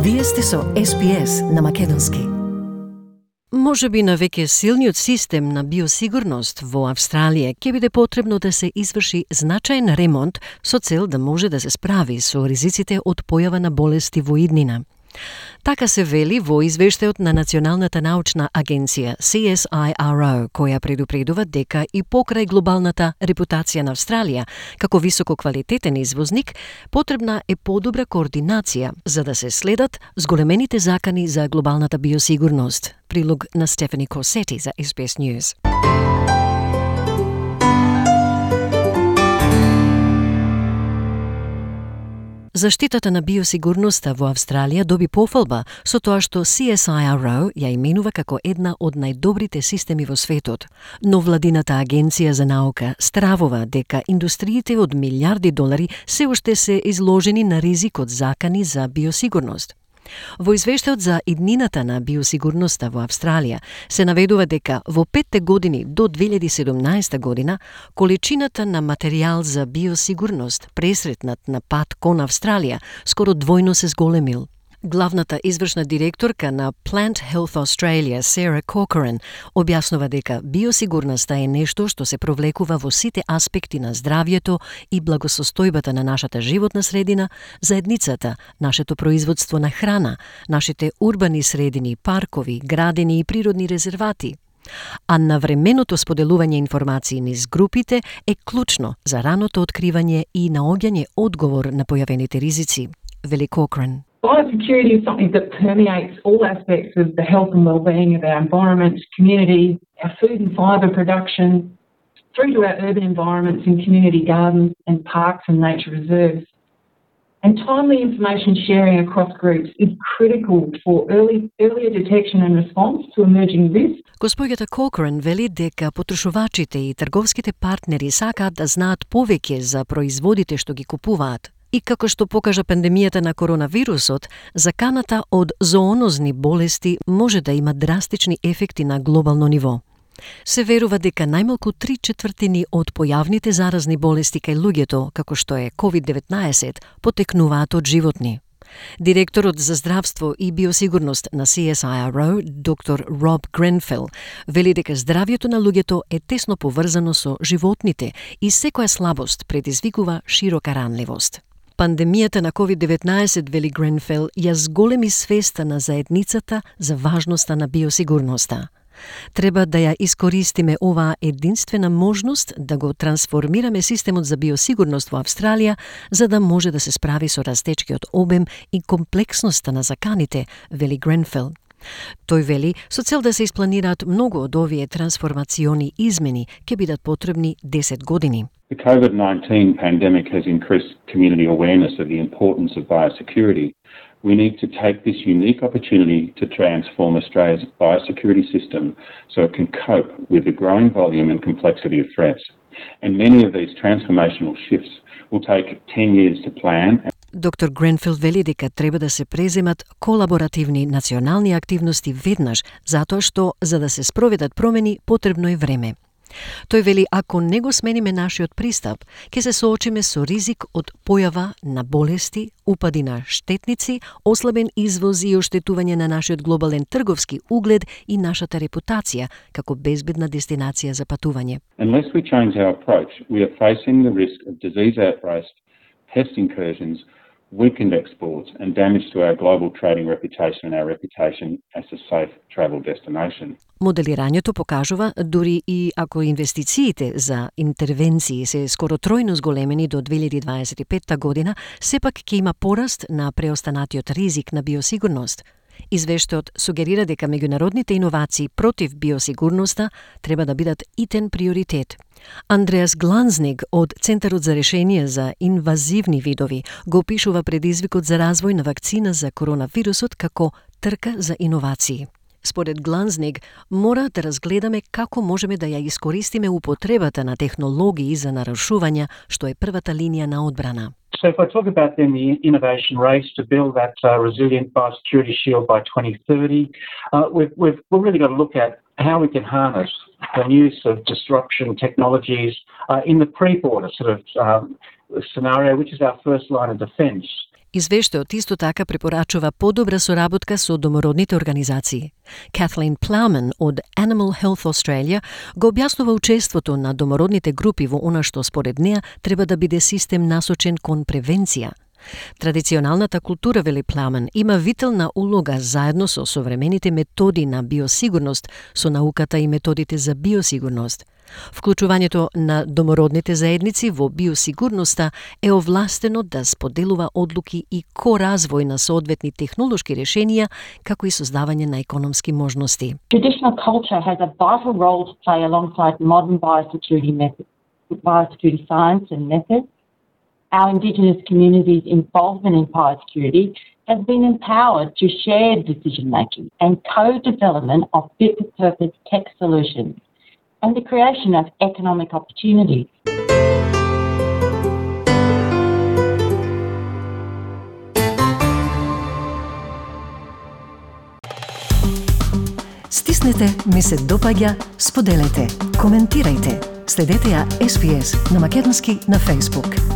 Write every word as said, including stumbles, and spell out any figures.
Вие сте со Ес Би Ес на македонски. Може би на веќе силниот систем на биосигурност во Австралија ќе биде потребно да се изврши значаен ремонт со цел да може да се справи со ризиците од појава на болести во иднина. Така се вели во извештајот на Националната научна агенција Си Ес Ай Ар О, која предупредува дека и покрај глобалната репутација на Австралија како висококвалитетен извозник, потребна е подобра координација за да се следат зголемените закани за глобалната биосигурност. Прилог на Стефани Корсети за Ес Би Ес News. Заштитата на биосигурноста во Австралија доби пофалба со тоа што Си Ес Ай Ар О ја именува како една од најдобрите системи во светот. Но владината агенција за наука стравува дека индустриите од милиарди долари се уште се изложени на ризик од закани за биосигурност. Во извештајот за иднината на биосигурноста во Австралија се наведува дека во петте години до две илјади и седумнаесета година количината на материјал за биосигурност пресретнат на пат кон Австралија скоро двојно се зголемил. Главната извршна директорка на Plant Health Australia, Sarah Corcoran, објаснува дека биосигурноста е нешто што се провлекува во сите аспекти на здравјето и благосостојбата на нашата животна средина, заедницата, нашето производство на храна, нашите урбани средини, паркови, градини и природни резервати. А навременото споделување информации низ групите е клучно за раното откривање и наоѓање одговор на појавените ризици, вели Corcoran. Biosecurity is something that permeates all aspects of the health and well-being of our environment, community, our food and fibre production, through to our urban environments and community gardens and parks and nature reserves. And timely information sharing across groups is critical for early, earlier detection and response to emerging risks. Госпоѓата Corcoran вели дека потрошувачите и трговските партнери сакаат да знаат повеќе за производите што ги купуваат. И како што покажа пандемијата на коронавирусот, заканата од зоонозни болести може да има драстични ефекти на глобално ниво. Се верува дека најмалку три четвртини од појавните заразни болести кај луѓето, како што е ковид деветнаесет, потекнуваат од животни. Директорот за здравство и биосигурност на Си Ес Ай Ар О, доктор Роб Гренфел, вели дека здравјето на луѓето е тесно поврзано со животните и секоја слабост предизвикува широка ранливост. Пандемијата на ковид деветнаесет, вели Гренфел, ја зголеми свеста на заедницата за важноста на биосигурноста. Треба да ја искористиме оваа единствена можност да го трансформираме системот за биосигурност во Австралија, за да може да се справи со растечкиот обем и комплексноста на заканите, вели Гренфел. Тој вели, со цел да се испланираат многу од овие трансформациони измени, ќе бидат потребни десет години. The COVID nineteen pandemic has increased community awareness of the importance of biosecurity. We need to take this unique opportunity to transform Australia's biosecurity system so it can cope with the growing volume and complexity of threats. And many of these transformational shifts will take ten years to plan. Доктор Гренфел вели дека треба да се преземат колаборативни национални активности веднаш, затоа што за да се спроведат промени потребно е време. Тој вели, ако не го смениме нашиот пристап, ќе се соочиме со ризик од појава на болести, упади на штетници, ослабен извоз и оштетување на нашиот глобален трговски углед и нашата репутација како безбедна дестинација за патување. Unless we change our approach, we are facing the risk of disease outbreaks, pest incursions, weakened exports and damage to our global trading reputation and our reputation as a safe travel destination. Моделирањето покажува, дури и ако инвестициите за интервенции се скоро тројно зголемени до две илјади дваесет и петта година, сепак ќе има пораст на преостанатиот ризик на биосигурност. Извештајот сугерира дека меѓународните иновации против биосигурноста треба да бидат итен приоритет. Андреас Гланзниг од Центарот за решение за инвазивни видови го опишува предизвикот за развој на вакцина за коронавирусот како трка за иновации. Според Гланзниг, мора да разгледаме како можеме да ја искористиме употребата на технологии за нарушувања, што е првата линија на одбрана. So if I talk about then the innovation race to build that uh, resilient biosecurity shield by twenty thirty, uh, we've, we've, we've really got to look at how we can harness the use of disruption technologies uh, in the pre-border sort of um, scenario, which is our first line of defence. Извештајот исто така препорачува подобра соработка со домородните организации. Kathleen Plowman од Animal Health Australia го објаснува учеството на домородните групи во она што според неа треба да биде систем насочен кон превенција. Традиционалната култура, вели Плowman, има витална улога заедно со современите методи на биосигурност, со науката и методите за биосигурност. Вклучувањето на домородните заедници во биосигурноста е овластено да споделува одлуки и ко-развој на соодветни технолошки решенија, како и создавање на економски можности. Traditional culture has a vital role to play alongside modern biosecurity methods, biosecurity science and methods. Our Indigenous communities' involvement in biosecurity has been empowered to shared decision-making and co-development of fit-for-purpose tech solutions and the creation of economic opportunities. Стиснете, ми се допаѓа, споделете, коментирајте. Следете ја Ес Би Ес на македонски на Facebook.